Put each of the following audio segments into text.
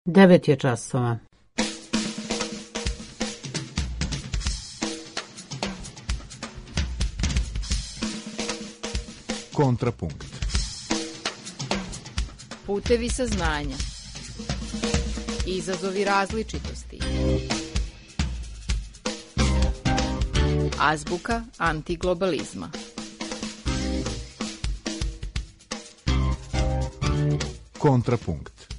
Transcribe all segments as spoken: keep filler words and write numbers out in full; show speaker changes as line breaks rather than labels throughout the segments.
Devet je časova.
Kontrapunkt.
Putevi saznanja. Izazovi različitosti. Azbuka antiglobalizma.
Kontrapunkt.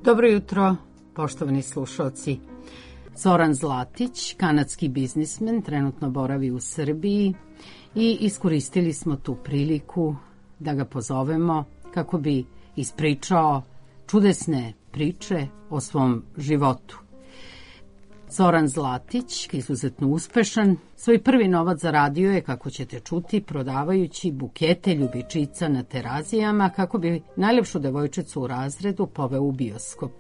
Dobro jutro, poštovani slušalci. Zoran Zlatić, kanadski biznismen, trenutno boravi u Srbiji i iskoristili smo tu priliku da ga pozovemo kako bi ispričao čudesne priče o svom životu. Zoran Zlatić, izuzetno uspešan, svoj prvi novac zaradio je, kako ćete čuti, prodavajući bukete ljubičica na Terazijama kako bi najlepšu devojčicu u razredu poveo u bioskop.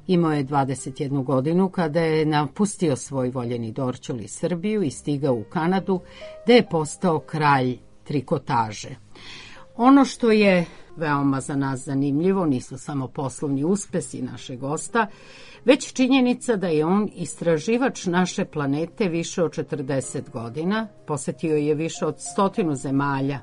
Imao je dvadeset jednu godinu kada je napustio svoj voljeni Dorćol i Srbiju i stigao u Kanadu, gde je postao kralj trikotaže. Ono što je veoma za nas zanimljivo nisu samo poslovni uspesi našeg gosta, već činjenica da je on istraživač naše planete više od četrdeset godina, posetio je više od stotinu zemalja.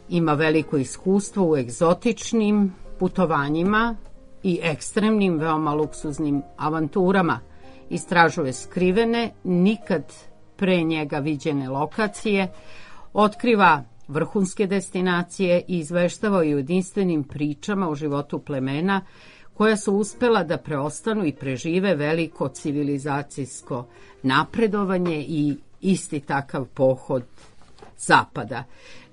Ima veliko iskustvo u egzotičnim putovanjima i ekstremnim, veoma luksuznim avanturama. Istražuje skrivene, nikad pre njega viđene lokacije, otkriva vrhunske destinacije i izveštava o jedinstvenim pričama o životu plemena koja su uspela da preostanu i prežive veliko civilizacijsko napredovanje i isti takav pohod zapada.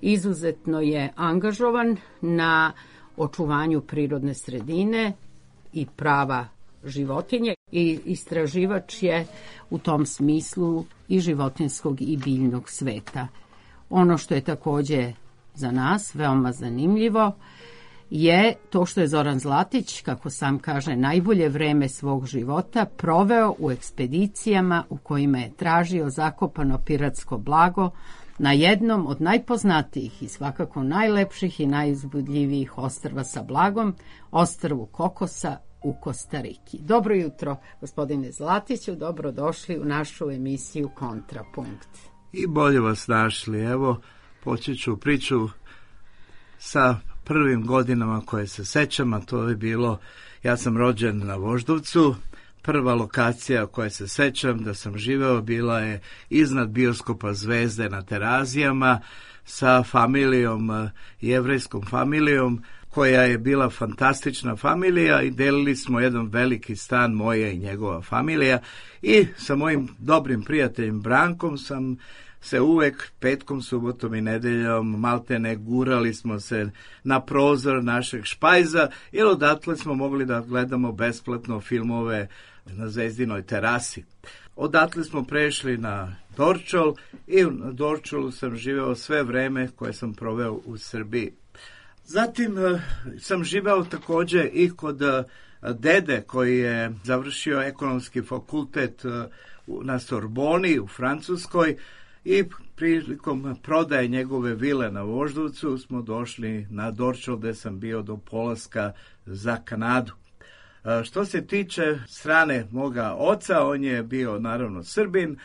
Izuzetno je angažovan na očuvanju prirodne sredine i prava životinje i istraživač je u tom smislu i životinjskog i biljnog sveta. Ono što je takođe za nas veoma zanimljivo je to što je Zoran Zlatić, kako sam kaže, najbolje vreme svog života proveo u ekspedicijama u kojima je tražio zakopano piratsko blago na jednom od najpoznatijih i svakako najlepših i najuzbudljivijih ostrva sa blagom, ostrvu Kokosa u Kostariki. Dobro jutro, gospodine Zlatiću, dobrodošli u našu emisiju Kontrapunkt.
I bolje vas našli. Evo, počet ću priču sa prvim godinama koje se sećam, a to je bilo, ja sam rođen na Voždovcu. Prva lokacija koje se sećam da sam živeo bila je iznad bioskopa Zvezde na Terazijama sa familijom, jevrejskom familijom, koja je bila fantastična familija i delili smo jedan veliki stan, moja i njegova familija, i sa mojim dobrim prijateljem Brankom sam se uvek petkom, subotom i nedeljom maltene gurali smo se na prozor našeg špajza, jer odatle smo mogli da gledamo besplatno filmove na Zvezdinoj terasi. Odatle smo prešli na Dorćol i na Dorćolu sam živeo sve vreme koje sam proveo u Srbiji. Zatim sam živeo takođe i kod dede koji je završio ekonomski fakultet na Sorboni u Francuskoj i prilikom prodaje njegove vile na Voždovcu smo došli na Dorćol gde sam bio do polaska za Kanadu. Što se tiče strane moga oca, on je bio naravno Srbin,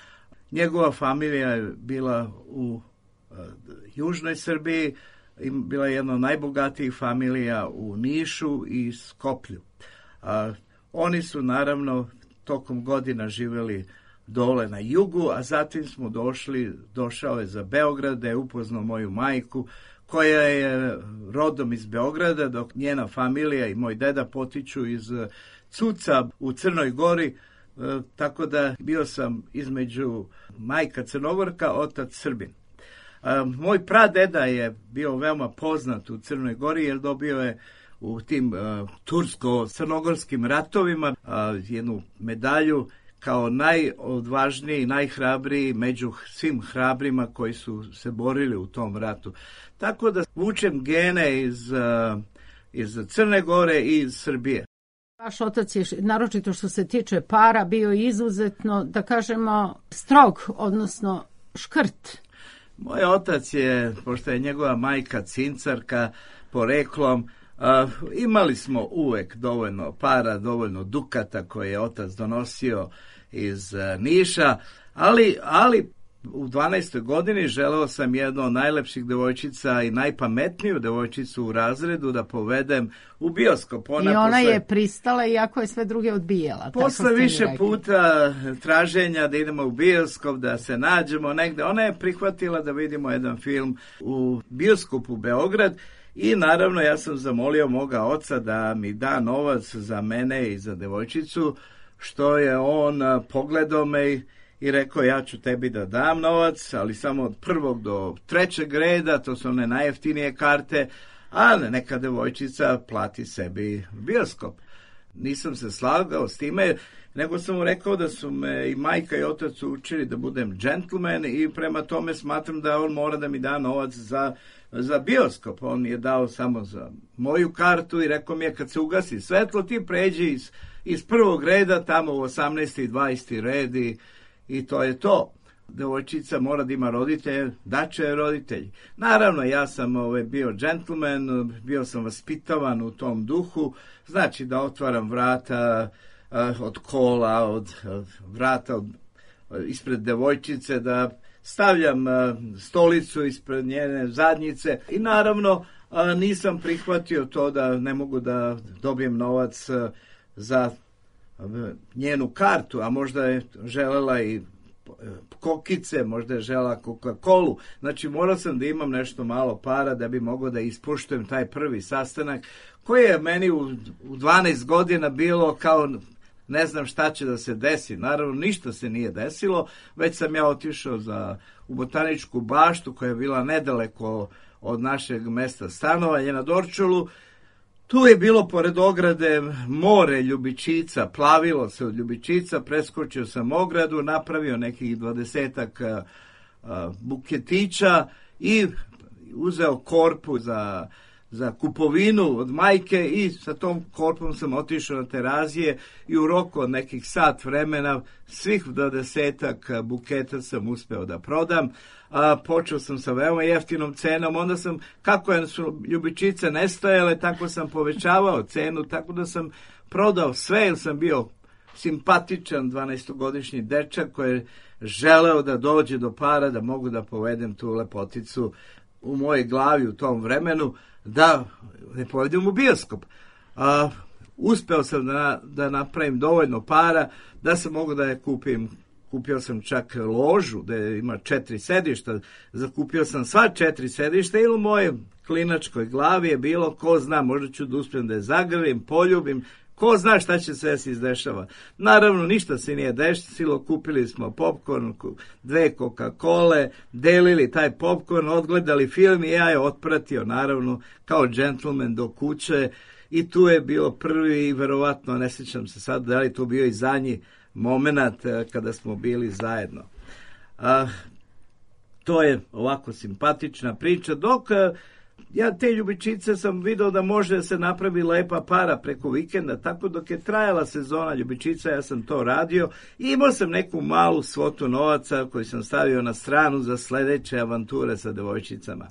njegova familija je bila u južnoj Srbiji, bila je jedna od najbogatijih familija u Nišu i Skoplju. A, oni su naravno tokom godina živjeli dole na jugu, a zatim smo došli, došao je za Beograd da je upoznao moju majku koja je rodom iz Beograda, dok njena familija i moj deda potiču iz cuca u Crnoj Gori, tako da bio sam između majka Crnogorka, otac Srbin. Moj pradeda je bio veoma poznat u Crnoj Gori jer dobio je u tim uh, tursko-crnogorskim ratovima uh, jednu medalju kao najodvažniji, najhrabriji među svim hrabrima koji su se borili u tom ratu. Tako da vučem gene iz, uh, iz Crne Gore i iz Srbije.
Vaš otac je, naročito što se tiče para, bio izuzetno, da kažemo, strog, odnosno škrt.
Moj otac je, pošto je njegova majka cincarka poreklom, Uh, imali smo uvek dovoljno para, dovoljno dukata koje je otac donosio iz uh, Niša, ali, ali u dvanaestoj godini želeo sam jednu od najlepših devojčica i najpametniju devojčicu u razredu da povedem u bioskop. Ona
I ona
posle,
je pristala iako je sve druge odbijela.
Posle više puta traženja da idemo u bioskop, da se nađemo negde, ona je prihvatila da vidimo jedan film u bioskopu Beograd. I naravno ja sam zamolio moga oca da mi da novac za mene i za devojčicu, što je on pogledao me i rekao ja ću tebi da dam novac, ali samo od prvog do trećeg reda, to su one najjeftinije karte, a neka devojčica plati sebi bioskop. Nisam se slagao s time, nego sam mu rekao da su me i majka i otac učili da budem džentlmen i prema tome smatram da on mora da mi da novac za za bioskop. On je dao samo za moju kartu i rekao mi je kad se ugasi svetlo ti pređi iz, iz prvog reda tamo u osamnaesti i dvadeseti red i, i to je to. Devojčica mora da ima roditelje, daće je roditelji. Naravno, ja sam ovaj, bio džentlmen, bio sam vaspitavan u tom duhu, znači da otvaram vrata uh, od kola, od, od vrata od, ispred devojčice, da stavljam uh, stolicu ispred njene zadnjice i naravno uh, nisam prihvatio to da ne mogu da dobijem novac uh, za uh, njenu kartu, a možda je želela i kokice, možda je žela Coca-Colu. Znači morao sam da imam nešto malo para da bi mogao da ispoštujem taj prvi sastanak koji je meni u, u dvanaest godina bilo kao ne znam šta će da se desi. Naravno ništa se nije desilo, već sam ja otišao za, u botaničku baštu koja je bila nedaleko od našeg mesta stanovanja na Dorčolu. Tu je bilo pored ograde more ljubičica, plavilo se od ljubičica, preskočio sam ogradu, napravio nekih dvadesetak buketića i uzeo korpu za, za kupovinu od majke i sa tom korpom sam otišao na terazije i u roku od nekih sat vremena svih dvadesetak buketa sam uspeo da prodam. A, počeo sam sa veoma jeftinom cenom, onda sam, kako su ljubičice nestajale, tako sam povećavao cenu, tako da sam prodao sve, jer sam bio simpatičan dvanaestogodišnji dečak koji je želeo da dođe do para, da mogu da povedem tu lepoticu u mojoj glavi u tom vremenu, da ne povedem u bioskop. A, uspeo sam da, da napravim dovoljno para, da sam mogu da je kupim. Kupio sam čak ložu gde ima četiri sedišta, zakupio sam sva četiri sedišta i u mojoj klinačkoj glavi je bilo, ko zna, možda ću da uspijem da je zagrlim, poljubim, ko zna šta će se izdešava. Naravno, ništa se nije desilo, kupili smo popcorn, dve Coca-Cole, delili taj popcorn, odgledali film i ja je otpratio, naravno, kao džentlmen do kuće i tu je bio prvi i verovatno, ne sjećam se sad da li to bio i zadnji moment kada smo bili zajedno. A, to je ovako simpatična priča, dok ja te ljubičice sam video da može se napravi lepa para preko vikenda, tako dok je trajala sezona ljubičica ja sam to radio i imao sam neku malu svotu novaca koju sam stavio na stranu za sledeće avanture sa devojčicama.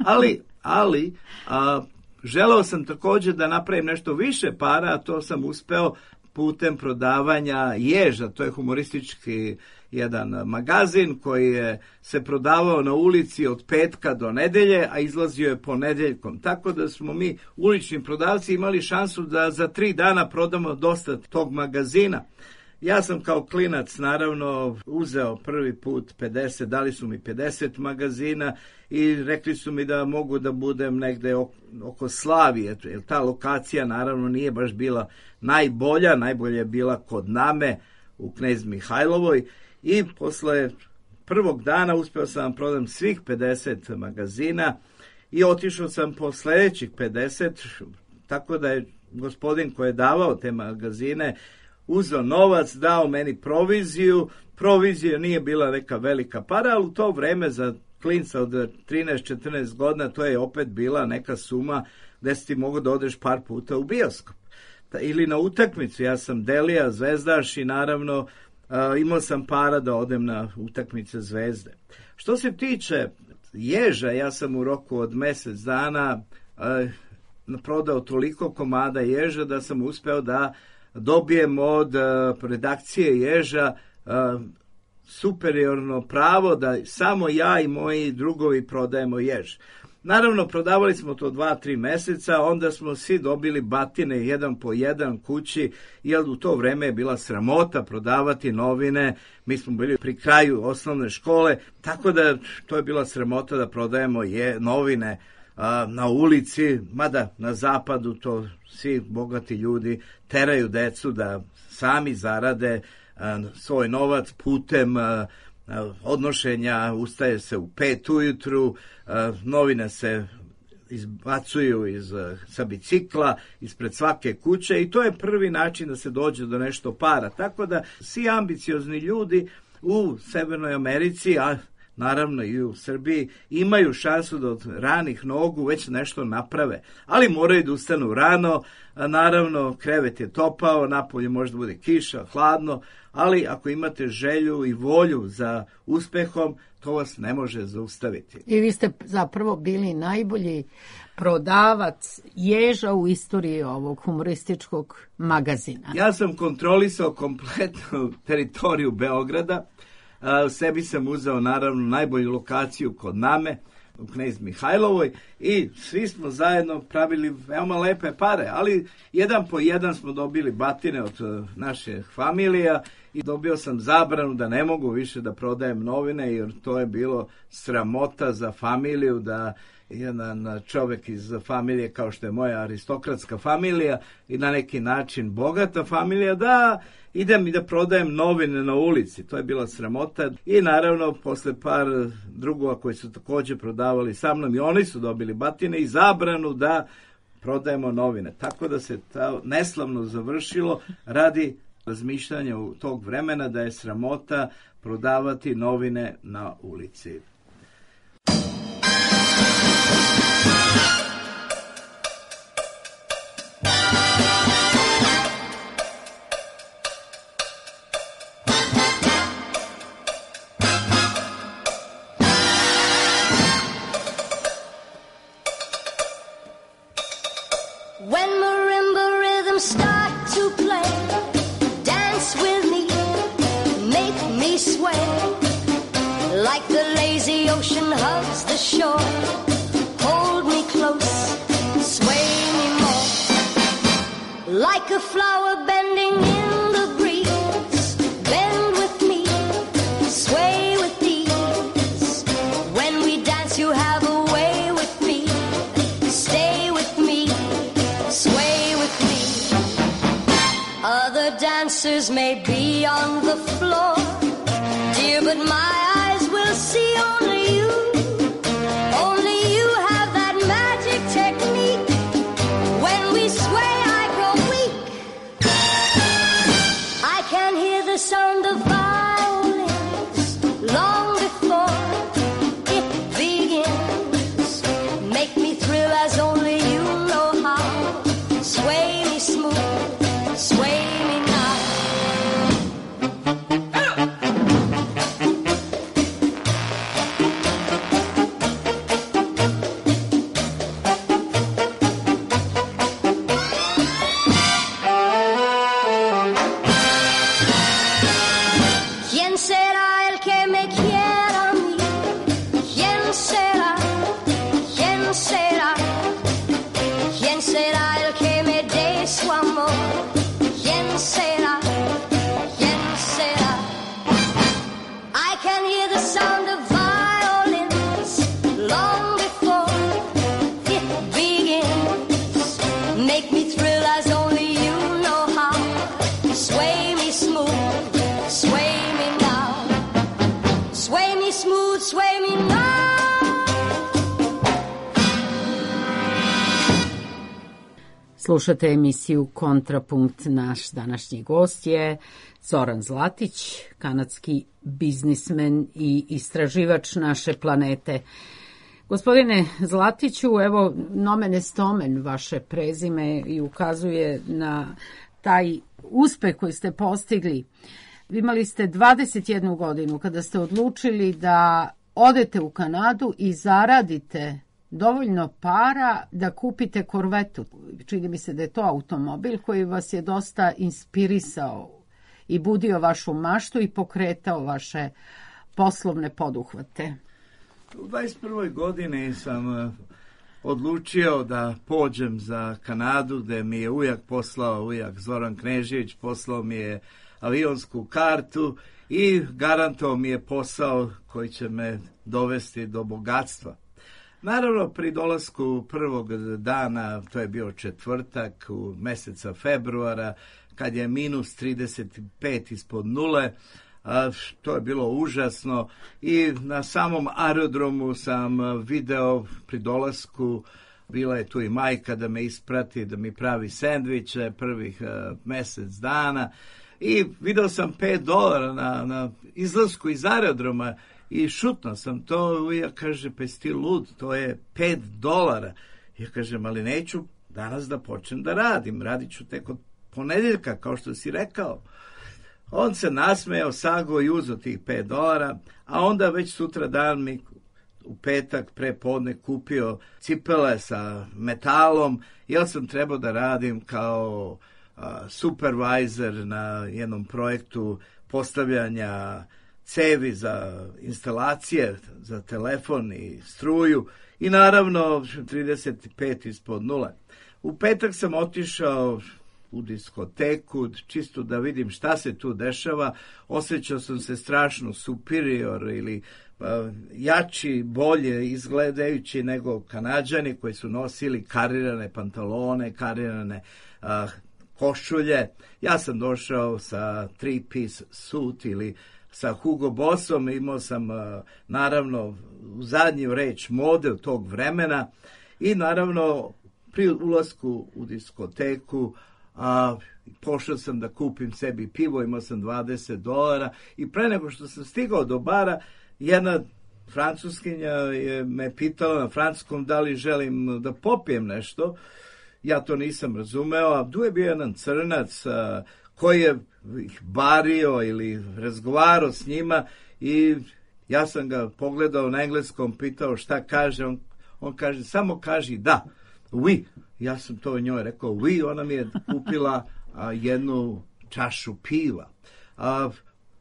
Ali, ali a, želeo sam također da napravim nešto više para, a to sam uspeo putem prodavanja Ježa, to je humoristički jedan magazin koji je se prodavao na ulici od petka do nedelje, a izlazio je ponedeljkom. Tako da smo mi, ulični prodavci, imali šansu da za tri dana prodamo dosta tog magazina. Ja sam kao klinac naravno uzeo prvi put pedeset, dali su mi pedeset magazina i rekli su mi da mogu da budem negde oko Slavije, jer ta lokacija naravno nije baš bila najbolja, najbolja je bila kod Name u Knez Mihajlovoj i posle prvog dana uspeo sam prodam svih pedeset magazina i otišao sam po sledećih pedeset, tako da je gospodin koji je davao te magazine uzeo novac, dao meni proviziju. Provizija nije bila neka velika para, ali u to vreme za klinca od trinaest četrnaest godina to je opet bila neka suma gde si ti mogu da odeš par puta u bioskop. Ili na utakmicu, ja sam Delija, zvezdaš i naravno uh, imao sam para da odem na utakmice Zvezde. Što se tiče ježa, ja sam u roku od mesec dana uh, prodao toliko komada ježa da sam uspeo da dobijem od uh, redakcije ježa uh, superiorno pravo da samo ja i moji drugovi prodajemo jež. Naravno, prodavali smo to dva, tri meseca, onda smo svi dobili batine jedan po jedan kući, jer u to vreme je bila sramota prodavati novine, mi smo bili pri kraju osnovne škole, tako da to je bila sramota da prodajemo je, novine a, na ulici, mada na zapadu to svi bogati ljudi teraju decu da sami zarade a, svoj novac putem a, odnošenja, ustaje se u pet ujutru, novine se izbacuju iz, sa bicikla ispred svake kuće i to je prvi način da se dođe do nešto para. Tako da svi ambiciozni ljudi u Severnoj Americi, a naravno i u Srbiji, imaju šansu da od ranih nogu već nešto naprave. Ali moraju da ustanu rano, a naravno krevet je topao, napolje možda bude kiša, hladno, ali ako imate želju i volju za uspehom, to vas ne može zaustaviti.
I vi ste zapravo bili najbolji prodavac ježa u istoriji ovog humorističkog magazina.
Ja sam kontrolisao kompletnu teritoriju Beograda. U sebi sam uzeo naravno najbolju lokaciju kod Name u Knez Mihajlovoj i svi smo zajedno pravili veoma lepe pare, ali jedan po jedan smo dobili batine od naše familija i dobio sam zabranu da ne mogu više da prodajem novine, jer to je bilo sramota za familiju da jedan čovek iz familije kao što je moja aristokratska familija i na neki način bogata familija da idem i da prodajem novine na ulici. To je bila sramota i naravno posle par drugova koji su takođe prodavali sa mnom i oni su dobili batine i zabranu da prodajemo novine. Tako da se to neslavno završilo radi razmišljanja u tog vremena da je sramota prodavati novine na ulici.
When marimba rhythms start to play, dance with me, make me sway, like the lazy ocean hugs the shore. Hold me close, sway me more, like a flower bending in the breeze. Bend with me, sway with ease. When we dance you have a way with me. Stay with me, sway with me. Other dancers may be on the floor, dear, but my eyes will see only you. Only you have that magic technique. When we sway, I grow weak. I can hear the sound of violins long before it begins. Make me thrill as only you know how. Sway me smooth, sway me now.
Slušate emisiju Kontrapunkt. Naš današnji gost je Zoran Zlatić, kanadski biznismen i istraživač naše planete. Gospodine Zlatiću, evo, nomen est omen vaše prezime i ukazuje na taj uspeh koji ste postigli. Imali ste dvadeset jednu godinu kada ste odlučili da odete u Kanadu i zaradite dovoljno para da kupite korvetu. Čini mi se da je to automobil koji vas je dosta inspirisao i budio vašu maštu i pokretao vaše poslovne poduhvate.
U dvadeset prvoj godini sam odlučio da pođem za Kanadu, gde mi je ujak poslao, ujak Zoran Knežević poslao mi je avionsku kartu i garantovao mi je posao koji će me dovesti do bogatstva. Naravno, pri dolasku prvog dana, to je bio četvrtak u meseca februara, kad je minus trideset pet ispod nule, a, to je bilo užasno i na samom aerodromu sam video pri dolasku, bila je tu i majka da me isprati, da mi pravi sendviče prvih a, mesec dana i video sam pet dolara na, na izlasku iz aerodroma i šutno sam to, ja kaže, pa si ti lud, to je pet dolara. Ja kažem, ali neću danas da počnem da radim, radit ću tek od ponedeljka, kao što si rekao. On se nasmejao, sago i uzeo tih pet dolara, a onda već sutra dan mi u petak pre podne kupio cipele sa metalom, jer sam trebao da radim kao uh, supervisor na jednom projektu postavljanja cevi za instalacije, za telefon i struju i naravno trideset pet ispod nule. U petak sam otišao u diskoteku, čisto da vidim šta se tu dešava. Osjećao sam se strašno superior ili uh, jači, bolje izgledajući nego Kanađani koji su nosili karirane pantalone, karirane uh, košulje. Ja sam došao sa three-piece suit ili sa Hugo Bossom, imao sam uh, naravno u zadnju reč mode tog vremena i naravno pri ulasku u diskoteku a, pošao sam da kupim sebi pivo, imao sam dvadeset dolara i pre nego što sam stigao do bara, jedna Francuskinja je me pitala na francuskom da li želim da popijem nešto. Ja to nisam razumeo, a tu je bio jedan crnac a, koji je ih bario ili razgovarao s njima i ja sam ga pogledao na engleskom, pitao šta kaže, on, on kaže, samo kaži da, oui. Ja sam to njoj rekao, oui, ona mi je kupila a, jednu čašu piva. A,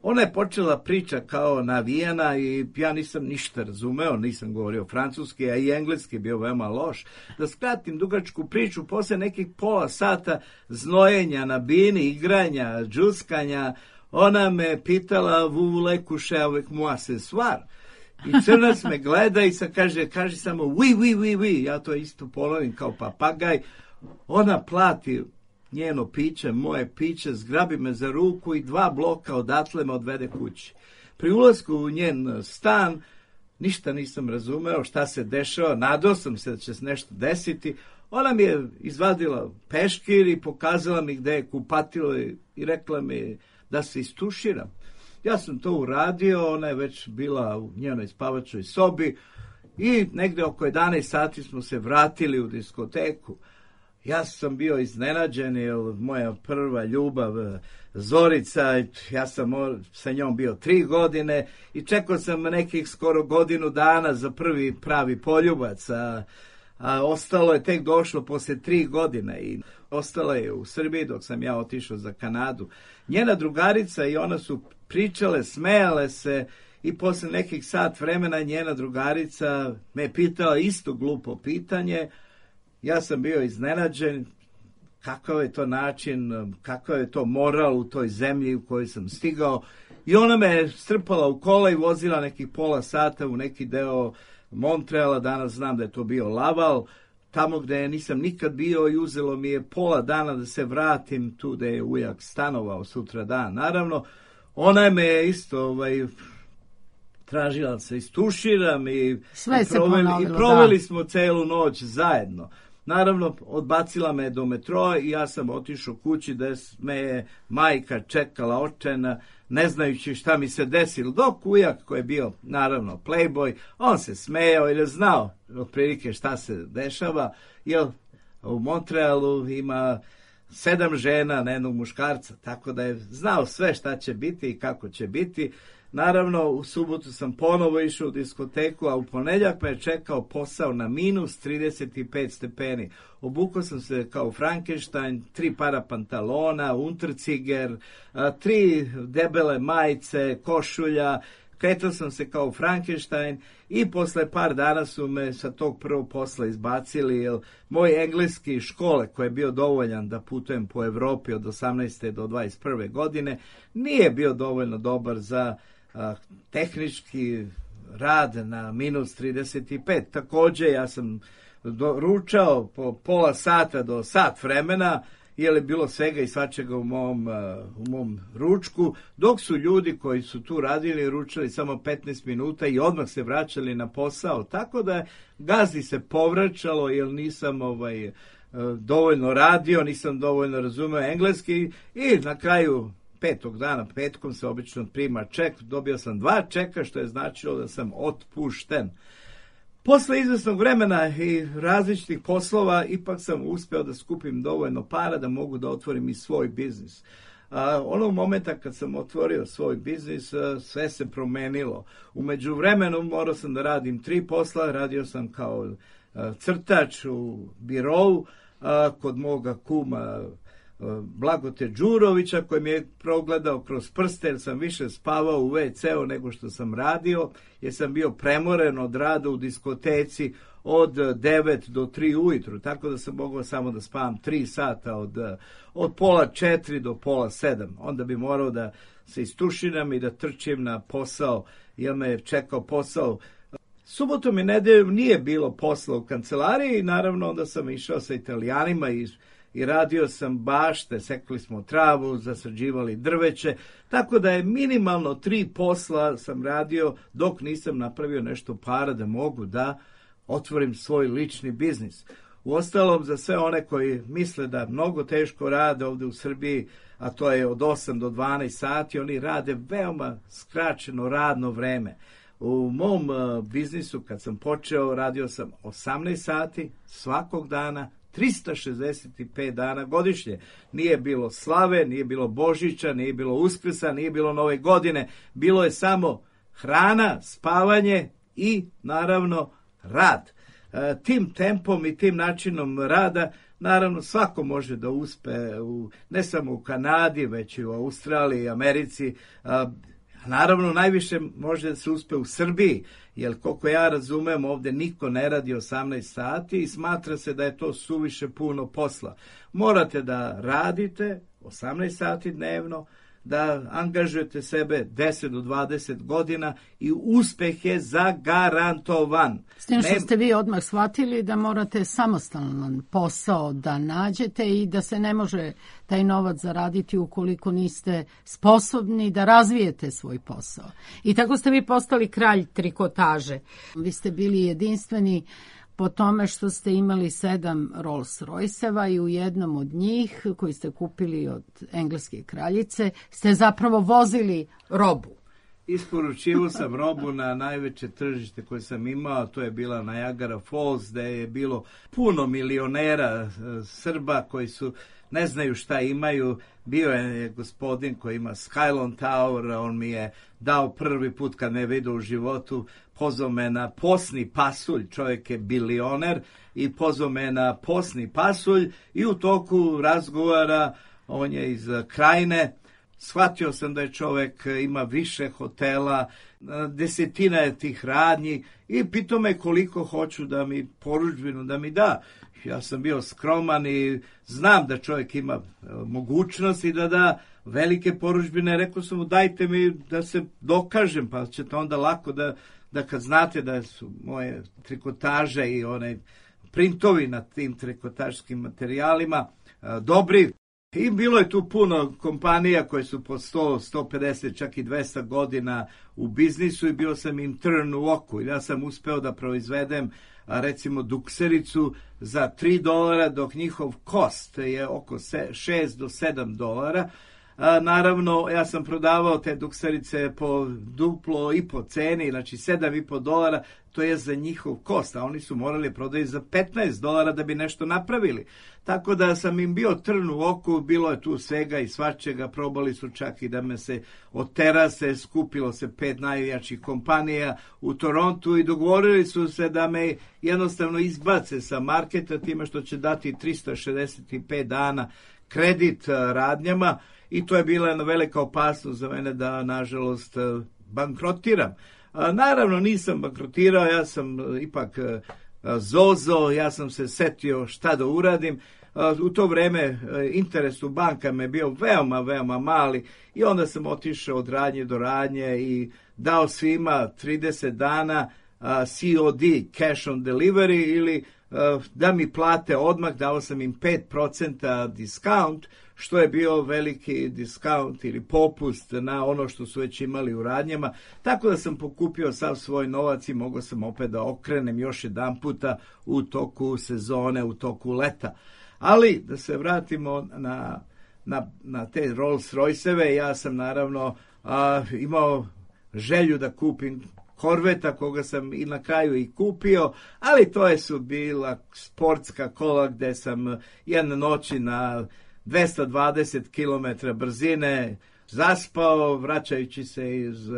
ona je počela priča kao navijena i ja nisam ništa razumeo, nisam govorio francuski, a i engleski je bio veoma loš. Da skratim dugačku priču, posle nekih pola sata znojenja na bini, igranja, džuskanja, ona me pitala, vous voulez coucher avec moi ce soir? I crnac me gleda i sad kaže, kaže samo, oui, oui, oui, oui, ja to isto ponovim kao papagaj. Ona plati njeno piće, moje piće, zgrabi me za ruku i dva bloka odatle me odvede kući. Pri ulasku u njen stan ništa nisam razumeo šta se dešava, nadao sam se da će se nešto desiti. Ona mi je izvadila peškir i pokazala mi gde je kupatilo i, i rekla mi da se istuširam. Ja sam to uradio, ona je već bila u njenoj spavačoj sobi i negde oko jedanaest sati smo se vratili u diskoteku. Ja sam bio iznenađen, jer moja prva ljubav Zorica, ja sam sa njom bio tri godine i čekao sam nekih skoro godinu dana za prvi pravi poljubac, a, a ostalo je tek došlo posle tri godine i ostala je u Srbiji dok sam ja otišao za Kanadu. Njena drugarica i ona su pričale, smejale se i posle nekih sat vremena njena drugarica me pitala isto glupo pitanje. Ja sam bio iznenađen kakav je to način, kakav je to moral u toj zemlji u kojoj sam stigao. I ona me strpala u kola i vozila nekih pola sata u neki deo Montreala, danas znam da je to bio Laval, tamo gde nisam nikad bio i uzelo mi je pola dana da se vratim tu gde je ujak stanovao sutra dan. Naravno, ona me je isto ovaj, tražila da se istuširam i,
Sve
i,
se
proveli,
ponovilo,
i proveli
da.
smo celu noć zajedno. Naravno, odbacila me do metroa i ja sam otišao kući da me je majka čekala očajna, ne znajući šta mi se desilo. Dok ujak koji je bio, naravno, playboy, on se smejao jer je znao otprilike šta se dešava, jer u Montrealu ima sedam žena na jednog muškarca, tako da je znao sve šta će biti i kako će biti. Naravno, u subotu sam ponovo išao u diskoteku, a u ponedjeljak me je čekao posao na minus trideset pet stepeni. Obukao sam se kao Frankenstein, tri para pantalona, unterciger, tri debele majice, košulja, kretao sam se kao Frankenstein i posle par dana su me sa tog prvog posla izbacili, jer moj engleski škole, koji je bio dovoljan da putujem po Evropi od osamnaeste do dvadeset prve godine, nije bio dovoljno dobar za a, tehnički rad na minus trideset pet. Također ja sam do, ručao po pola sata do sat vremena, jer je bilo svega i svačega u mom, u mom ručku, dok su ljudi koji su tu radili ručali samo petnaest minuta i odmah se vraćali na posao. Tako da gazdi se povraćalo, jer nisam ovaj, dovoljno radio, nisam dovoljno razumeo engleski i na kraju petog dana, petkom se obično prima ček, dobio sam dva čeka, što je značilo da sam otpušten. Posle izvesnog vremena i različitih poslova, ipak sam uspeo da skupim dovoljno para da mogu da otvorim i svoj biznis. A, onog momenta kad sam otvorio svoj biznis, a, sve se promenilo. U međuvremenu morao sam da radim tri posla, radio sam kao a, crtač u birovu, a, kod moga kuma Blagote Đurovića, koji mi je progledao kroz prste, jer sam više spavao u ve ce u nego što sam radio, jer sam bio premoren od rada u diskoteci od devet do tri ujutru, tako da sam mogao samo da spavam tri sata od, od pola četiri do pola sedam. Onda bi morao da se istušinam i da trčim na posao, jer me je čekao posao. Subotom i nedeljom nije bilo posla u kancelariji i naravno onda sam išao sa Italijanima i i radio sam bašte, sekli smo travu, zasađivali drveće, tako da je minimalno tri posla sam radio dok nisam napravio nešto para da mogu da otvorim svoj lični biznis. Uostalom, za sve one koji misle da mnogo teško rade ovdje u Srbiji, a to je od osam do dvanaest sati, oni rade veoma skraćeno radno vreme. U mom uh, biznisu kad sam počeo radio sam osamnaest sati svakog dana, trista šezdeset pet dana godišnje. Nije bilo slave, nije bilo Božića, nije bilo Uskrsa, nije bilo Nove godine. Bilo je samo hrana, spavanje i naravno rad. E, tim tempom i tim načinom rada naravno svako može da uspe u, ne samo u Kanadi, već i u Australiji, Americi. A, naravno najviše može da se uspe u Srbiji, jer koliko ja razumem ovdje niko ne radi osamnaest sati i smatra se da je to suviše puno posla. Morate da radite osamnaest sati dnevno, da angažujete sebe deset do dvadeset godina i uspeh je zagarantovan.
S tim što ste vi odmah shvatili da morate samostalan posao da nađete i da se ne može taj novac zaraditi ukoliko niste sposobni da razvijete svoj posao. I tako ste vi postali kralj trikotaže. Vi ste bili jedinstveni po tome što ste imali sedam Rolls Royceva i u jednom od njih, koji ste kupili od engleske kraljice, ste zapravo vozili robu.
Isporučivao sam robu na najveće tržište koje sam imao, to je bila Niagara Falls, gde je bilo puno milionera Srba koji su ne znaju šta imaju. Bio je gospodin koji ima Skylon Tower, on mi je dao prvi put kad me vidio u životu, pozvao me na posni pasulj, čovjek je bilioner, i pozvao me na posni pasulj i u toku razgovara, on je iz Krajine, shvatio sam da je čovjek ima više hotela, desetina je tih radnji i pitao me koliko hoću da mi porudžbinu da mi da. Ja sam bio skroman i znam da čovjek ima mogućnost i da da velike porudžbine. Rekao sam mu dajte mi da se dokažem, pa ćete onda lako da, da kad znate da su moje trikotaže i onaj printovi na tim trikotaškim materijalima dobri, I bilo je tu puno kompanija koje su po sto, sto pedeset, čak i dvesta godina u biznisu i bio sam im trn u oku. Ja sam uspeo da proizvedem recimo duksericu za tri dolara, dok njihov kost je oko šest do sedam dolara. A, naravno, ja sam prodavao te dukserice po duplo i po ceni, znači sedam i po dolara, to je za njihov kost, a oni su morali prodati za petnaest dolara da bi nešto napravili. Tako da sam im bio trn u oku, bilo je tu svega i svačega, probali su čak i da me se od terase, skupilo se pet najjačih kompanija u Torontu i dogovorili su se da me jednostavno izbace sa marketa time što će dati tristo šezdeset pet dana kredit radnjama. I to je bila jedna velika opasnost za mene da, nažalost, bankrotiram. Naravno, nisam bankrotirao, ja sam ipak zozo, ja sam se setio šta da uradim. U to vreme interes u bankama je bio veoma, veoma mali i onda sam otišao od radnje do radnje i dao svima trideset dana C O D, cash on delivery, ili da mi plate odmah, dao sam im pet procenta discount, što je bio veliki discount ili popust na ono što su već imali u radnjama, tako da sam pokupio sav svoj novac i mogao sam opet da okrenem još jedan puta u toku sezone, u toku leta. Ali da se vratimo na, na, na te Rolls Royceve, ja sam naravno a, imao želju da kupim Korveta, koga sam i na kraju i kupio, ali to je su bila sportska kola gde sam jedne noći na dvesta dvadeset kilometara brzine zaspao, vraćajući se iz uh,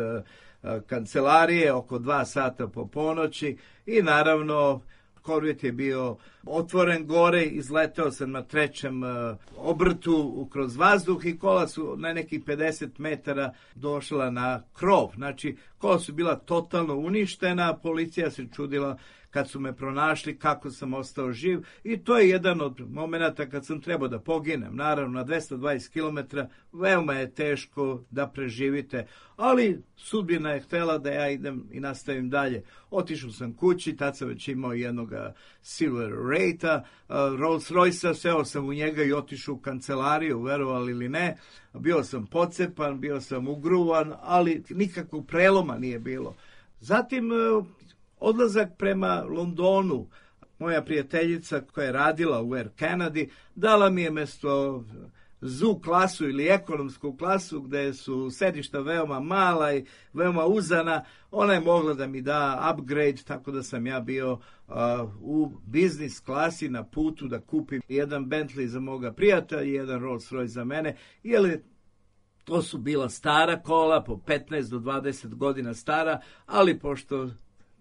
kancelarije oko dva sata po ponoći i naravno Korvet je bio otvoren gore, izleteo sam na trećem uh, obrtu kroz vazduh i kola su na nekih pedeset metara došla na krov. Znači, kola su bila totalno uništena, policija se čudila kad su me pronašli kako sam ostao živ i to je jedan od momenata kad sam trebao da poginem. Naravno, na dvesta dvadeset kilometara veoma je teško da preživite, ali sudbina je htela da ja idem i nastavim dalje. Otišao sam kući, tad sam već imao jednog Silver Rate-a, Rolls Royce-a, seo sam u njega i otišao u kancelariju, verovali ili ne. Bio sam pocepan, bio sam ugruvan, ali nikakvog preloma nije bilo. Zatim odlazak prema Londonu, moja prijateljica koja je radila u Air Canadi, dala mi je mesto Z U klasu ili ekonomsku klasu gde su sedišta veoma mala i veoma uzana. Ona je mogla da mi da upgrade, tako da sam ja bio uh, u biznis klasi na putu da kupim jedan Bentley za moga prijatelja i jedan Rolls Royce za mene, jer to su bila stara kola, po petnaest do dvadeset godina stara, ali pošto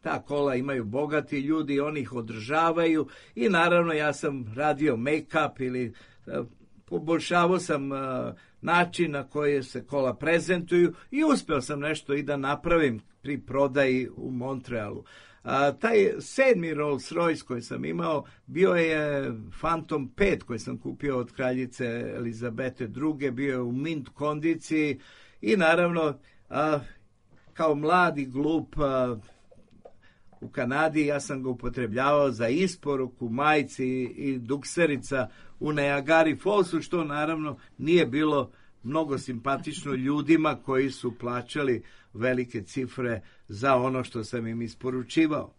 ta kola imaju bogati ljudi, oni ih održavaju i naravno ja sam radio make-up ili uh, poboljšavao sam uh, način na koji se kola prezentuju i uspeo sam nešto i da napravim pri prodaji u Montrealu. A, taj sedmi Rolls Royce koji sam imao bio je Phantom pet koji sam kupio od kraljice Elizabete druge, bio je u mint kondiciji i naravno a, kao mladi glup a, u Kanadi ja sam ga upotrebljavao za isporuku majci i dukserica u Niagara Fallsu, što naravno nije bilo mnogo simpatično ljudima koji su plaćali velike cifre za ono što sam im isporučivao.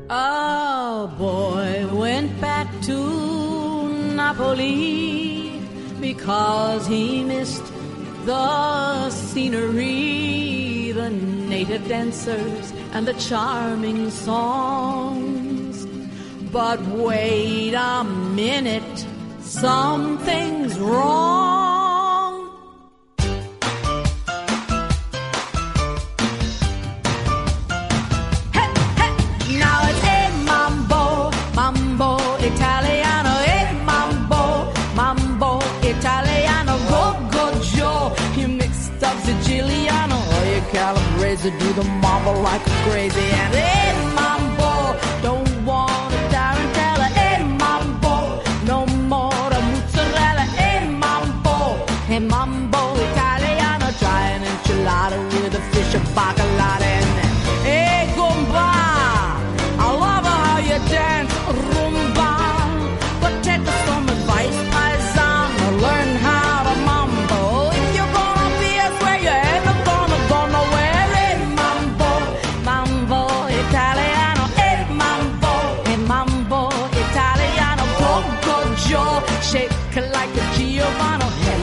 A boy went back to Napoli because he missed the scenery, the native dancers and the charming songs. But wait a minute, something's wrong. Hey, hey, now it's a mambo, mambo Italiano, a mambo, mambo Italiano, go, go, Joe. You mixed up Siciliano, or you calabrese, do the mambo like crazy, and a mambo, don't want a tarantella, a mambo, no more a mozzarella, a mambo, a mambo Italiano, try an enchilada with a fish, a bacalao, and a gumba. I love how you dance rumba, potato sauce.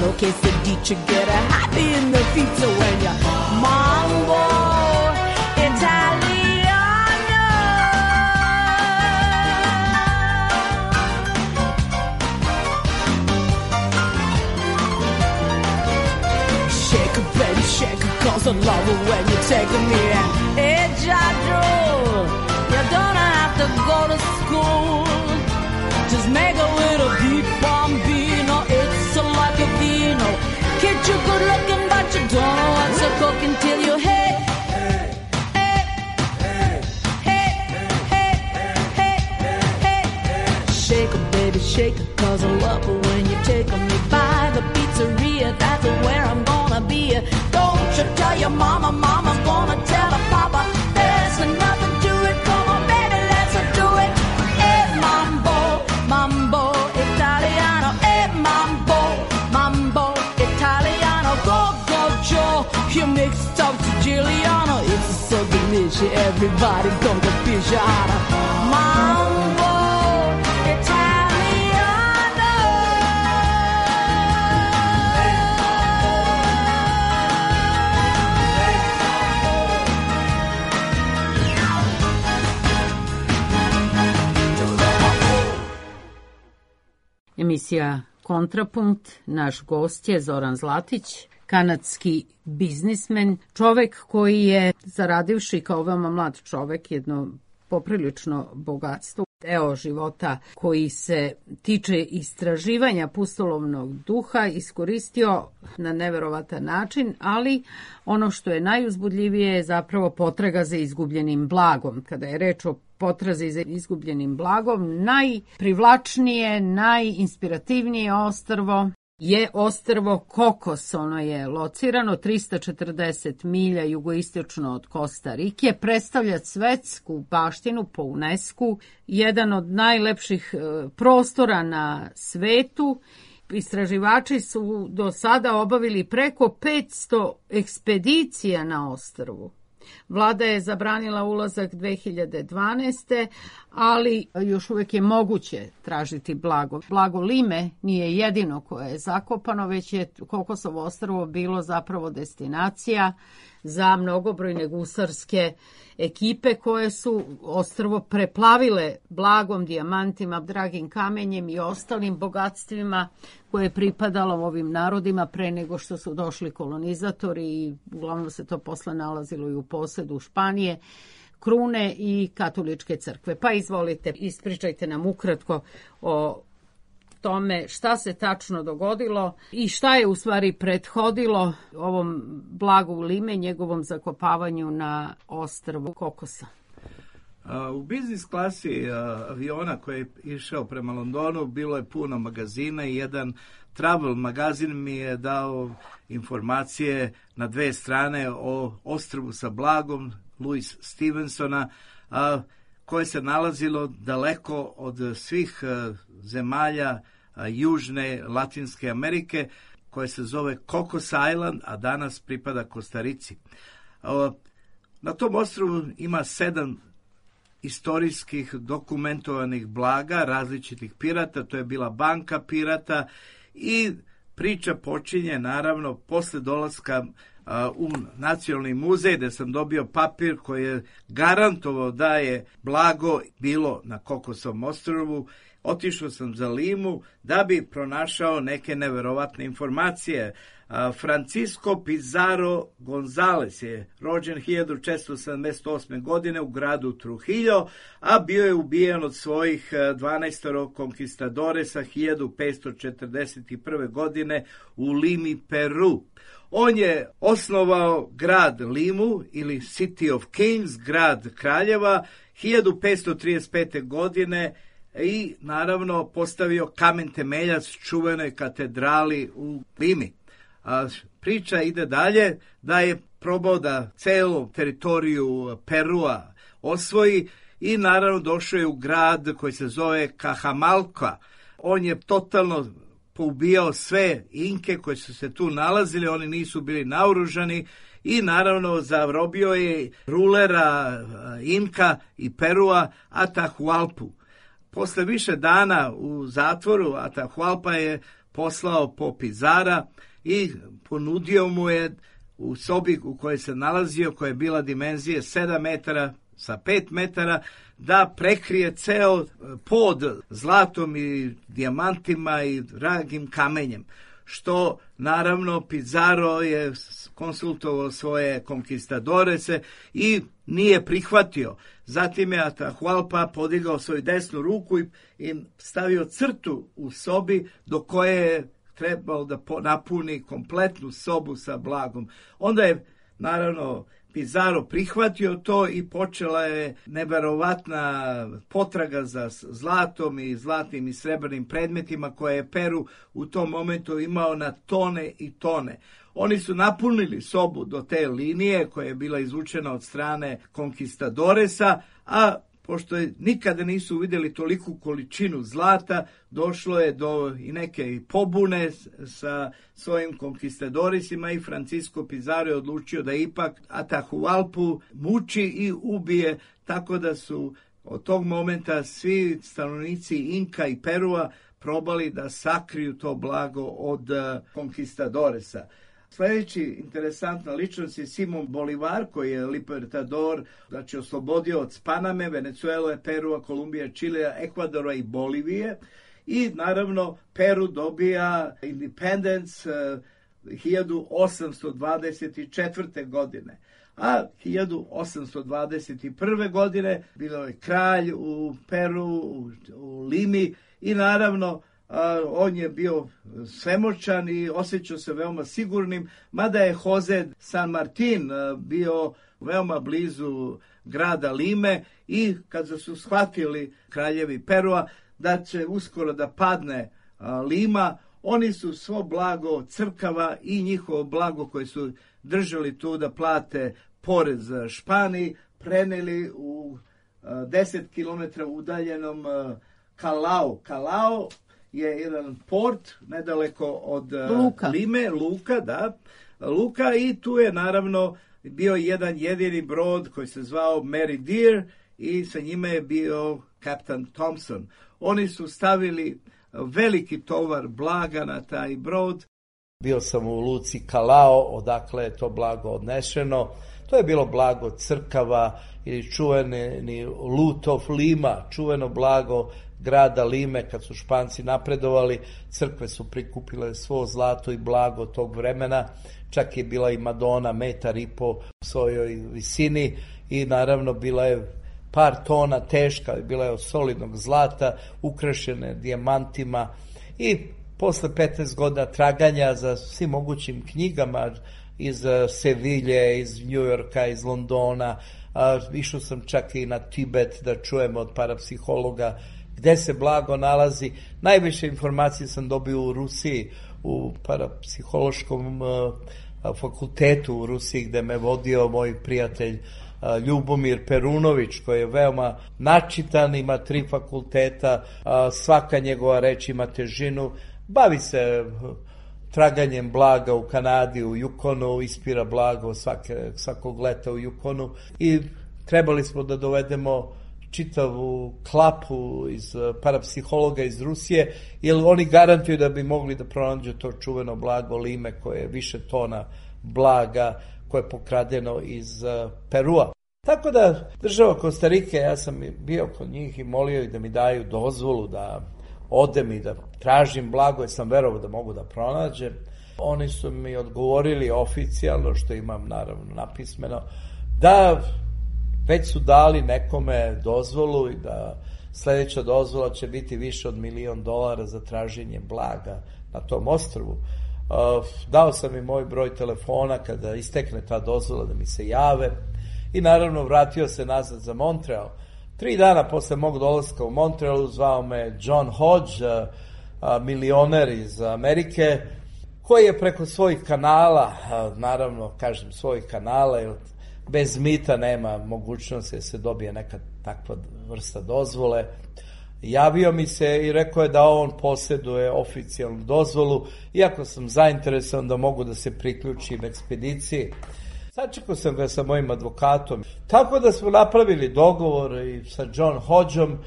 no quesadilla, get a happy in the feet when you mambo Italiano. Shake it, baby, shake it, 'cause I love it when you're taking me in. Hey, Jadro, you don't have to go to school. Just make a little beat bambino. It's like a vino. Kid, you're good looking, but you don't know what's a cook until you hit. Hey, hey, hey, hey, hey, hey. Shake it, baby, shake it, 'cause I love it when you're taking me by the pizzeria. That's where I'm gonna be. Don't you tell your mama, mama's gonna tell her papa. There's nothing to it, come on, baby, let's do it. Hey, mambo, mambo Italiano. Hey, mambo, mambo Italiano. Go, go, Joe, you mixed up Siciliano. It's so delicious, everybody come to fish out of mambo Italiano.
Emisija Kontrapunkt, naš gost je Zoran Zlatić, kanadski biznismen, čovek koji je, zaradivši kao veoma mlad čovek, jedno poprilično bogatstvo, deo života koji se tiče istraživanja pustolovnog duha, iskoristio na neverovatan način, ali ono što je najuzbudljivije je zapravo potraga za izgubljenim blagom. Kada je reč o potrazi za izgubljenim blagom, najprivlačnije, najinspirativnije ostrvo je ostrvo Kokos. Ono je locirano trista četrdeset milja jugoistočno od Kosta Rike, predstavlja svetsku baštinu po UNESCO, jedan od najlepših prostora na svetu. Istraživači su do sada obavili preko petsto ekspedicija na ostrvu. Vlada je zabranila ulazak dve hiljade dvanaeste. ali još uvijek je moguće tražiti blago. Blago Lime nije jedino koje je zakopano, već je Kokosovo ostrvo bilo zapravo destinacija za mnogobrojne gusarske ekipe koje su ostrvo preplavile blagom, dijamantima, dragim kamenjem i ostalim bogatstvima koje je pripadalo ovim narodima pre nego što su došli kolonizatori i uglavnom se to posle nalazilo i u posedu Španije, krune i katoličke crkve. Pa izvolite, ispričajte nam ukratko o tome šta se tačno dogodilo i šta je u stvari prethodilo ovom blagu Lime, njegovom zakopavanju na ostrvu Kokosa.
U biznis klasi aviona koji je išao prema Londonu bilo je puno magazina i jedan travel magazin mi je dao informacije na dve strane o ostrvu sa blagom Louis Stevensona, koje se nalazilo daleko od svih zemalja Južne Latinske Amerike, koje se zove Cocos Island, a danas pripada Kostarici. Na tom ostrvu ima sedam istorijskih dokumentovanih blaga različitih pirata, to je bila banka pirata i priča počinje naravno posle dolaska u Nacionalni muzej, gde sam dobio papir koji je garantovao da je blago bilo na Kokosovom ostrvu. Otišao sam za Limu da bi pronašao neke neverovatne informacije. Francisco Pizarro Gonzalez je rođen hiljadu četiristo sedamdeset osme. godine u gradu Trujillo, a bio je ubijen od svojih dvanaestoro konkistadoresa hiljadu petsto četrdeset prve. godine u Limi, Peru. On je osnovao grad Limu ili City of Kings, grad kraljeva, hiljadu petsto trideset pete. godine i naravno postavio kamen temeljac čuvenoj katedrali u Limi. A priča ide dalje da je probao da celu teritoriju Perua osvoji i naravno došao je u grad koji se zove Cajamalca. On je totalno poubijao sve Inke koji su se tu nalazili, oni nisu bili naoružani i naravno zarobio je rulera Inka i Perua Atahualpu. Posle više dana u zatvoru Atahualpa je poslao po Pizara i ponudio mu je u sobi u kojoj se nalazio, koja je bila dimenzije sedam metara sa pet metara, da prekrije ceo pod zlatom i dijamantima i dragim kamenjem, što naravno Pizarro je konsultovao svoje konkistadorese i nije prihvatio. Zatim je Atahualpa podigao svoju desnu ruku i stavio crtu u sobi do koje je trebao da napuni kompletnu sobu sa blagom. Onda je naravno Pizarro prihvatio to i počela je neverovatna potraga za zlatom i zlatnim i srebrnim predmetima koje je Peru u tom momentu imao na tone i tone. Oni su napunili sobu do te linije koja je bila izvučena od strane konkistadoresa, a pošto je, nikada nisu vidjeli toliku količinu zlata, došlo je do i neke pobune sa svojim konkistadorisima i Francisco Pizarro je odlučio da ipak Atahualpu muči i ubije, tako da su od tog momenta svi stanovnici Inka i Perua probali da sakriju to blago od konkistadoresa. Sljedeći interesantna ličnost je Simon Bolivar, koji je libertador, znači oslobodio od Paname, Venezuele, Perua, Kolumbija, Čilea, Ekvadora i Bolivije. I naravno Peru dobija independence uh, hiljadu osamsto dvadeset četvrte. godine. A hiljadu osamsto dvadeset prve. godine bilo je kralj u Peru, u, u Limi i naravno Uh, on je bio svemoćan i osjećao se veoma sigurnim, mada je Jose San Martin uh, bio veoma blizu grada Lime i kad su shvatili kraljevi Perua da će uskoro da padne uh, Lima, oni su svo blago crkava i njihovo blago koje su držali tu da plate porez Španiji preneli u uh, deset kilometara udaljenom uh, Kalao. Kalao je jedan port nedaleko od
Luka.
Lime, Luka, da, Luka i tu je naravno bio jedan jedini brod koji se zvao Mary Dear i sa njime je bio kapitan Thompson. Oni su stavili veliki tovar blaga na taj brod.
Bio sam u luci Kalao, odakle je to blago odnešeno. To je bilo blago crkava ili čuveni Loot of Lima, čuveno blago grada Lime. Kad su Španci napredovali, crkve su prikupile svo zlato i blago tog vremena. Čak je bila i Madona metar i po svojoj visini i naravno bila je par tona teška, bila je od solidnog zlata, ukrašene dijamantima i posle petnaest godina traganja za svim mogućim knjigama iz Sevilje, iz Njujorka, iz Londona, a, išao sam čak i na Tibet da čujem od parapsihologa gde se blago nalazi. Najviše informacije sam dobio u Rusiji, u parapsihološkom a, fakultetu u Rusiji gde me vodio moj prijatelj a, Ljubomir Perunović, koji je veoma načitan, ima tri fakulteta, a, svaka njegova reč ima težinu, bavi se traganjem blaga u Kanadi, u Yukonu, ispira blago svake, svakog leta u Yukonu i trebali smo da dovedemo čitavu klapu iz parapsihologa iz Rusije, jer oni garantuju da bi mogli da pronađu to čuveno blago Lime koje je više tona blaga koje je pokradeno iz Perua. Tako da država Kostarike, ja sam bio kod njih i molio ih da mi daju dozvolu da odem i da tražim blago, jer sam verovao da mogu da pronađem. Oni su mi odgovorili oficijalno, što imam naravno napismeno, da već su dali nekome dozvolu i da sledeća dozvola će biti više od milion dolara za traženje blaga na tom ostrvu. Dao sam im moj broj telefona kada istekne ta dozvola da mi se jave i naravno vratio se nazad za Montreal. Tri dana posle mog dolaska u Montrealu zvao me John Hodge, milioner iz Amerike, koji je preko svojih kanala, naravno kažem svojih kanala, jer bez mita nema mogućnosti da se dobije neka takva vrsta dozvole, javio mi se i rekao je da on posjeduje oficijalnu dozvolu, iako sam zainteresovan da mogu da se priključim ekspediciji. Sačekao sam ga sa mojim advokatom, tako da smo napravili dogovor i sa John Hodgeom,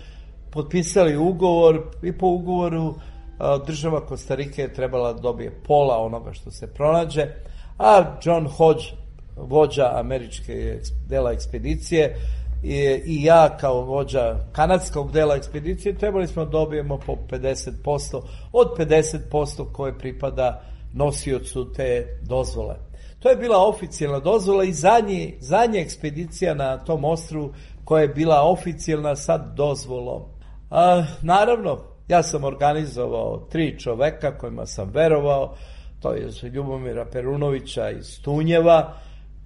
potpisali ugovor i po ugovoru država Kostarike je trebala da dobije pola onoga što se pronađe, a John Hodge, vođa američke dela ekspedicije, i, i ja kao vođa kanadskog dela ekspedicije trebali smo da dobijemo po pedeset posto od pedeset posto koje pripada nosiocu te dozvole. To je bila oficijalna dozvola i zadnji, zadnja ekspedicija na tom ostrvu koja je bila oficijalna sa dozvolom. A, naravno, ja sam organizovao tri čoveka kojima sam verovao, to je Ljubomira Perunovića iz Tunjeva,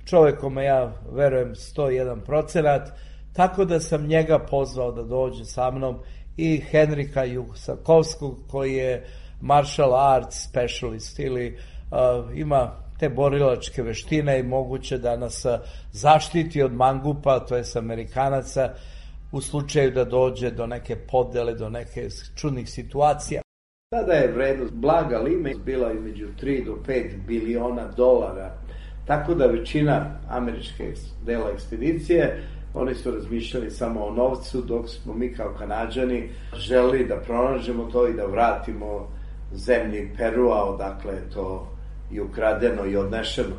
čovek kome ja verujem sto jedan procenat, tako da sam njega pozvao da dođe sa mnom, i Henrika Jusakovskog koji je martial arts specialist ili uh, ima te borilačke veštine i moguće da nas zaštiti od mangupa, to je Amerikanaca, u slučaju da dođe do neke podele, do neke čudnih situacija. Tada je vrednost blaga lime bila između tri do pet biliona dolara, tako da većina američke dela ekspedicije, oni su razmišljali samo o novcu, dok smo mi kao Kanađani želi da pronađemo to i da vratimo zemlji Perua, odakle je to i ukradeno i odnešeno.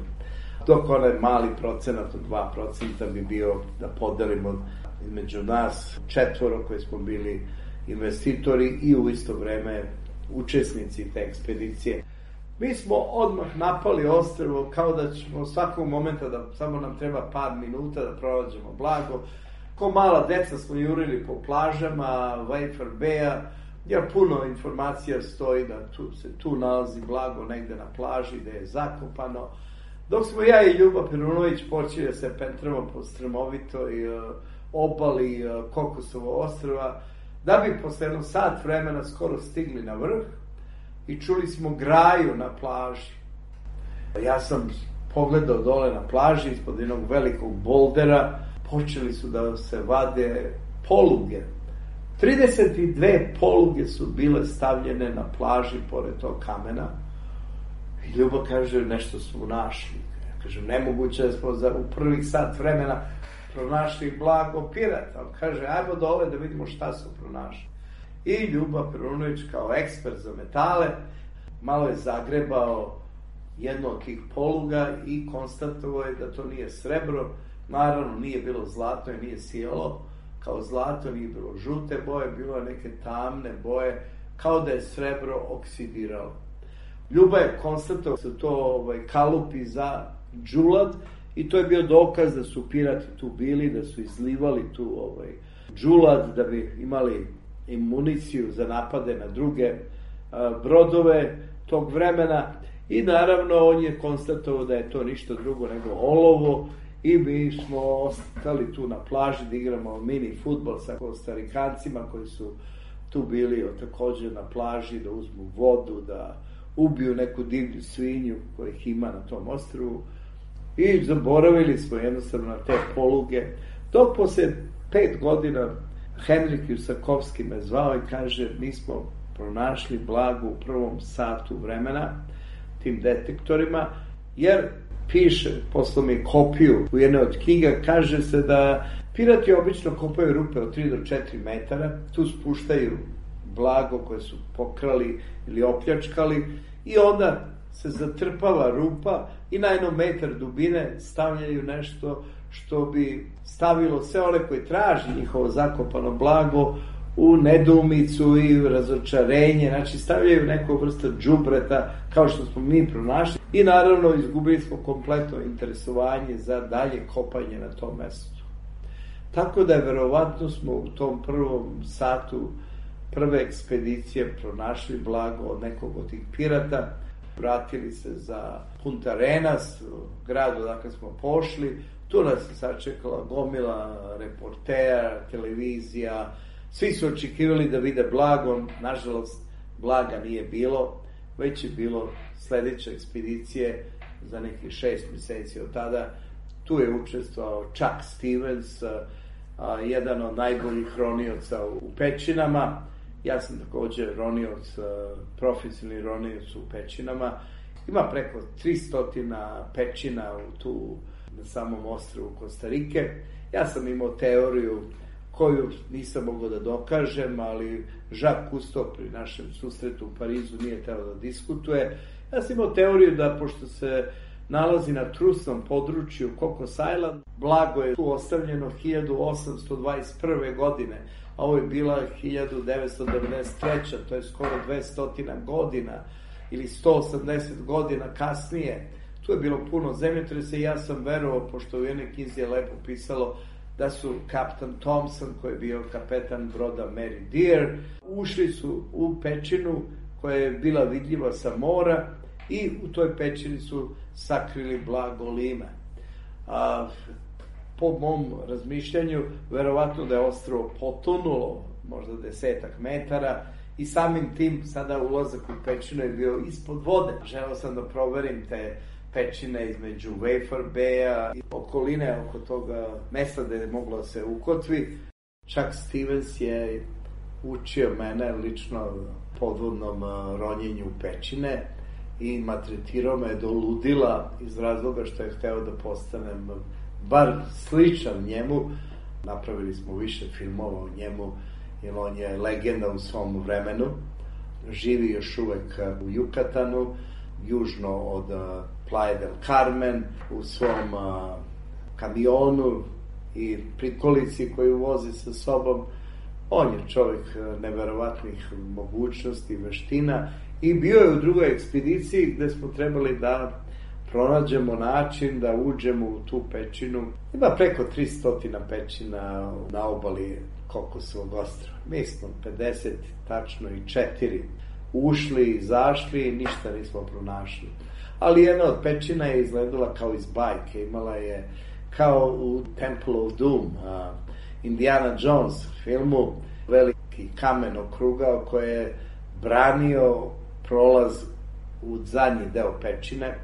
Dok onaj mali procenat od dva procenta bi bio da podelimo između nas četvoro koji smo bili investitori i u isto vreme učesnici te ekspedicije. Mi smo odmah napali ostrvo kao da ćemo svakog momenta da samo nam treba par minuta da pronađemo blago. Ko mala deca smo jurili po plažama Wafer Baya, jer puno informacija stoji da tu, se tu nalazi blago negde na plaži gde je zakopano. Dok smo ja i Ljuba Perunović počeli da se pentramo po strmovitoj uh, obali uh, Kokosovo ostrva, da bi posle jedno sat vremena skoro stigli na vrh i čuli smo graju na plaži. Ja sam pogledao dole na plaži, ispod jednog velikog boldera, počeli su da se vade poluge. trideset dve poluge su bile stavljene na plaži pored tog kamena. I Ljuba kaže, nešto smo našli. Ja kažem, nemoguće da smo za, u prvih sat vremena pronašli blago pirata. On kaže, ajmo dole da vidimo šta su pronašli. I Ljuba Perunović kao ekspert za metale malo je zagrebao jedno od tih poluga i konstatovao je da to nije srebro. Naravno, nije bilo zlato i nije sijalo kao zlato, nije bilo žute boje, bilo je neke tamne boje, kao da je srebro oksidiralo. Ljuba je konstatovao da su to ovaj, kalupi za džulad i to je bio dokaz da su pirati tu bili, da su izlivali tu ovaj, džulad da bi imali i municiju za napade na druge a, brodove tog vremena. I naravno on je konstatovao da je to ništa drugo nego olovo i mi smo ostali tu na plaži da igramo mini fudbal sa Kostarikancima koji su tu bili također na plaži da uzmu vodu, da ubiju neku divlju svinju kojih ima na tom ostrvu i zaboravili smo jednostavno na te poluge. Dok posle pet godina Henrik Jusakovski me zvao i kaže, mi smo pronašli blago u prvom satu vremena tim detektorima, jer piše, poslao mi kopiju u jednoj od knjiga, kaže se da pirati obično kopaju rupe od tri do četiri metara, tu spuštaju blago koje su pokrali ili opljačkali i onda se zatrpava rupa i na jednom metar dubine stavljaju nešto što bi stavilo sve one koji traži njihovo zakopano blago u nedoumicu i razočarenje, znači stavljaju neku vrstu džubreta kao što smo mi pronašli i naravno izgubili smo kompletno interesovanje za dalje kopanje na tom mestu. Tako da je verovatno smo u tom prvom satu prve ekspedicije pronašli blago od nekog od tih pirata, vratili se za Punta Arenas, grad odakle smo pošli, tu nas je sačekala gomila reportera, televizija, svi su očekivali da vide blago, nažalost blaga nije bilo, već je bilo sledeće ekspedicije za nekih šest meseci od tada. Tu je učestvovao Chuck Stevens, a, jedan od najboljih ronioca u pećinama. Ja sam također ronioc, profesionalni ronioc u pećinama. Ima preko tristo pećina u tu na samom ostrvu Kostarike. Ja sam imao teoriju koju nisam mogao da dokažem, ali Jacques Cousteau pri našem susretu u Parizu nije teo da diskutuje. Ja sam imao teoriju da, pošto se nalazi na trusnom području Cocos Island, blago je tu ostavljeno hiljadu osamsto dvadeset prve. godine, a ovo je bila hiljadu devetsto devedeset treće. To je skoro dvesta godina ili sto osamdeset godina kasnije. Tu je bilo puno zemljotresa i ja sam verovao, pošto u jednoj knjizi je lepo pisalo da su kapitan Thompson, koji je bio kapetan broda Mary Dear, ušli su u pećinu koja je bila vidljiva sa mora i u toj pećini su sakrili blago Lime. A, po mom razmišljanju, verovatno da je ostrvo potonulo možda desetak metara i samim tim sada ulazak u pećinu je bio ispod vode. Želeo sam da proverim te pećine između Wafer Baya i okoline oko toga mesta gde je moglo da se ukotvi. Chuck Stevens je učio mene lično podvodnom ronjenju pećine i maltretirao me do ludila iz razloga što je hteo da postanem bar sličan njemu. Napravili smo više filmova o njemu, jer on je legenda u svom vremenu. Živi još uvek u Jukatanu, južno od Playa del Carmen, u svom a, kamionu i prikolici koju vozi sa sobom. On je čovjek neverovatnih mogućnosti, veština i bio je u drugoj ekspediciji gde smo trebali da pronađemo način da uđemo u tu pećinu. Ima preko tristo pećina na obali Kokosovog ostrva. Mi smo pedeset tačno i četiri ušli, izašli i ništa nismo pronašli. Ali jedna od pećina je izgledala kao iz bajke. Imala je kao u Temple of Doom, uh, Indiana Jones filmu, veliki kamen okrugao koji je branio prolaz u zadnji deo pećine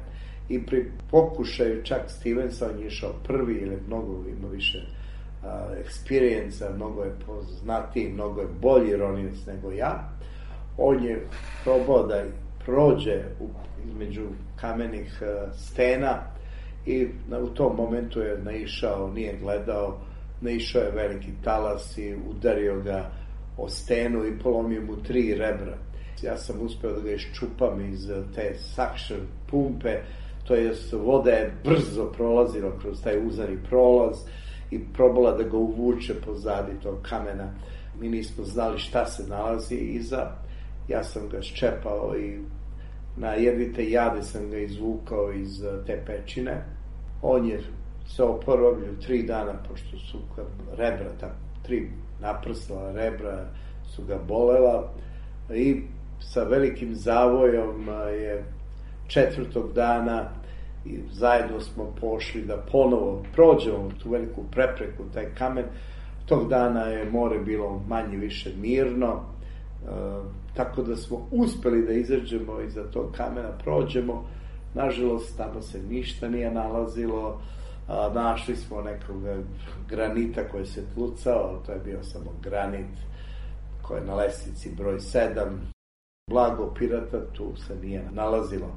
i pri pokušaju Chuck Stevensa, on je išao prvi ili mnogo ima više uh, experience, mnogo je poznatiji, mnogo je bolji ronilac nego ja. On je probao da prođe u, između kamenih uh, stena i na, u tom momentu je naišao, nije gledao, naišao je veliki talas i udario ga o stenu i polomio mu tri rebra. Ja sam uspeo da ga iščupam iz te suction pumpe, to jest voda je brzo prolazila kroz taj uzani prolaz i probala da ga uvuče pozadi tog kamena. Mi nismo znali šta se nalazi iza. Ja sam ga ščepao i na jedvite jade sam ga izvukao iz te pećine. On je se oporavio tri dana, pošto su rebra, ta tri naprsla rebra su ga bolela i sa velikim zavojom je četvrtog dana i zajedno smo pošli da ponovo prođemo tu veliku prepreku, taj kamen. Tog dana je more bilo manje više mirno, e, tako da smo uspeli da izađemo iza tog kamena, prođemo. Nažalost, tamo se ništa nije nalazilo. A, našli smo nekog granita koji se tlucao, to je bio samo granit koji je na lestvici broj sedam. Blago pirata tu se nije nalazilo.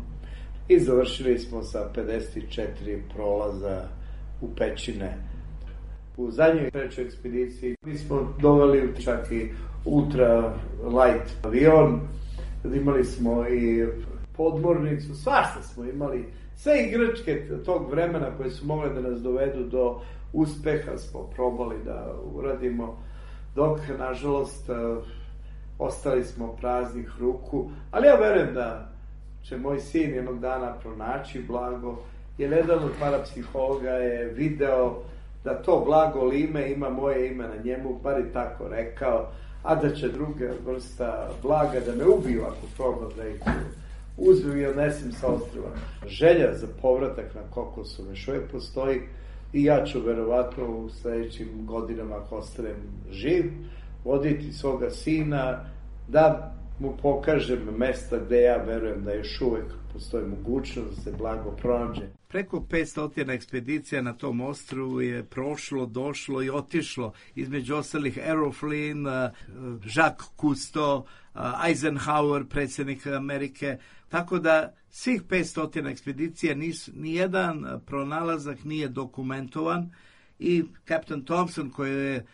I završili smo sa pedeset četiri prolaza u pećine. U zadnjoj trećoj ekspediciji mi smo doveli čak i ultra light avion, imali smo i podmornicu, svašta smo imali, sve igračke tog vremena koje su mogle da nas dovedu do uspeha smo probali da uradimo, dok nažalost ostali smo praznih ruku, ali ja verujem da će moj sin jednog dana pronaći blago, jer jedan od parapsihologa je video da to blago Lime ima moje ime na njemu, bar i tako rekao, a da će druga vrsta blaga da me ubiju ako probam da ih uzmem i odnesem sa ostrva. Želja za povratak na Kokosu još uvijek postoji i ja ću verovatno u sledećim godinama, ako ostanem živ, voditi svoga sina da mu pokažem mesta gde ja verujem da još uvek postoji mogućnost da se blago pronađe.
Preko petsto ekspedicija na tom ostrvu je prošlo, došlo i otišlo. Između ostalih Errol Flynn, Jacques Cousteau, Eisenhower, predsjednik Amerike. Tako da svih petsto ekspedicija nijedan pronalazak nije dokumentovan i kapitan Thompson koji je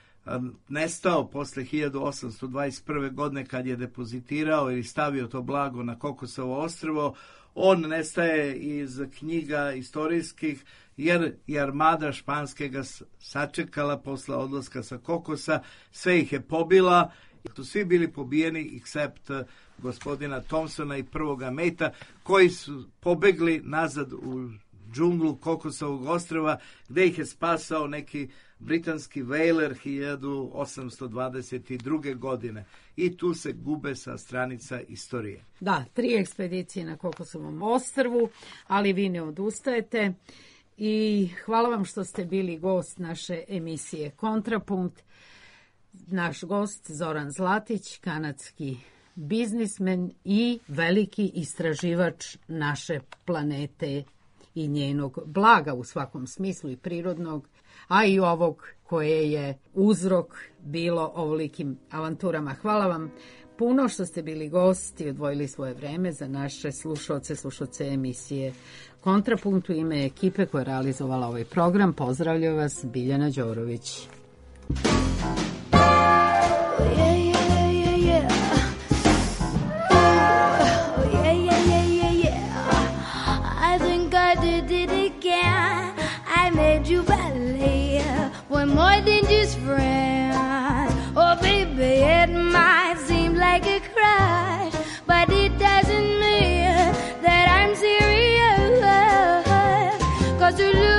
nestao posle hiljadu osamsto dvadeset prve. godine kad je depozitirao ili stavio to blago na Kokosovo ostrvo. On nestaje iz knjiga istorijskih jer je armada španske ga sačekala posle odlaska sa Kokosa, sve ih je pobila, su svi bili pobijeni except gospodina Thompsona i prvoga Meta, koji su pobegli nazad u džunglu Kokosovog ostrva, gde ih je spasao neki britanski whaler hiljadu osamsto dvadeset druge. godine. I tu se gube sa stranica istorije.
Da, tri ekspedicije na Kokosovom ostrvu, ali vi ne odustajete. I hvala vam što ste bili gost naše emisije Kontrapunkt. Naš gost Zoran Zlatić, kanadski biznismen i veliki istraživač naše planete i njenog blaga u svakom smislu, i prirodnog, a i ovog koje je uzrok bilo ovolikim avanturama. Hvala vam puno što ste bili gost i odvojili svoje vreme za naše slušalce, slušalce emisije Kontrapunkt. U ime ekipe koja je realizovala ovaj program pozdravlja vas Biljana Đorović.
You ballet, we're more than just friends. Oh, baby, it might seem like a crush, but it doesn't mean that I'm serious. 'Cause you lose